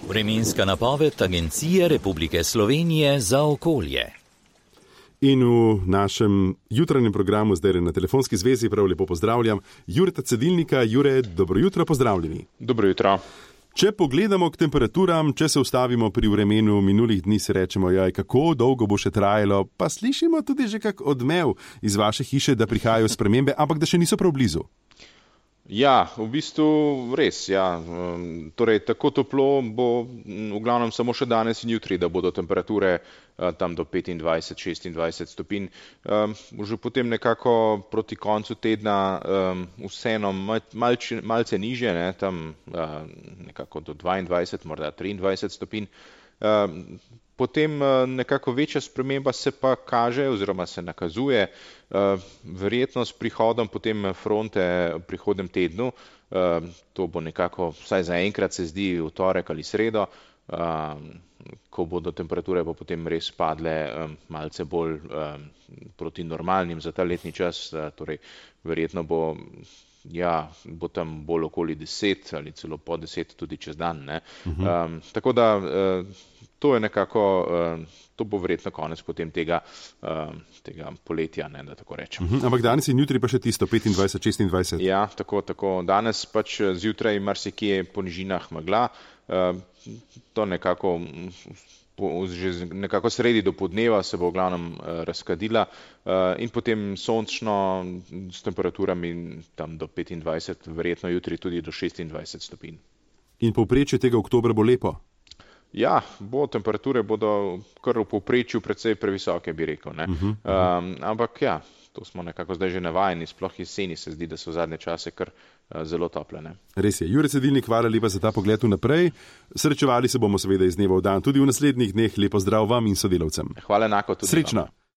Vremenska napoved Agencije Republike Slovenije za okolje. In v našem jutranjem programu zdaj na telefonski zvezi prav lepo pozdravljam Jureta Cedilnika. Jure, dobro jutro, pozdravljeni. Dobro jutro. Če pogledamo k temperaturam, če se ustavimo pri vremenu minulih dni, si rečemo, kako dolgo bo še trajalo, pa slišimo tudi že kak odmev iz vaše hiše, da prihajajo spremembe, ampak da še niso prav blizu. Ja, v bistvu res, ja. Torej, tako toplo bo v glavnem samo še danes in jutri, da bodo temperature tam do 25-26 stopinj. Že potem nekako proti koncu tedna vseeno malce nižje, ne, tam nekako do 22, morda 23 stopinj. Potem nekako večja sprememba se pa kaže oziroma se nakazuje verjetno s prihodom potem fronte v prihodnem tednu. To bo nekako, vsaj zaenkrat se zdi, v torek ali sredo, ko bodo temperature pa potem res padle malce bolj proti normalnim za ta letni čas. Torej, verjetno bo tam bolj okoli 10 ali celo po 10 tudi čez dan. Ne? Tako da to je nekako, to bo verjetno konec potem tega poletja, ne, da tako rečem. Ampak danes in jutri pa še tisto 25-26. Ja, tako. Danes pač zjutraj marsikje po nižinah megla, to nekako že nekako sredi do podneva se bo v glavnem razkadila in potem sončno s temperaturami tam do 25, verjetno jutri tudi do 26 stopinj. In povprečje tega oktobra bo lepo? Ja, temperature bodo kar v povprečju precej previsoke, bi rekel. Ne? Ampak ja, to smo nekako zdaj že navajeni, sploh jeseni se zdi, da so zadnje čase kar zelo tople. Ne? Res je. Jure Cedilnik, hvala lepa za ta pogled vnaprej. Srečevali se bomo seveda iz dneva v dan, tudi v naslednjih dneh. Lepo zdrav vam in sodelavcem. Hvala enako tudi. Srečno.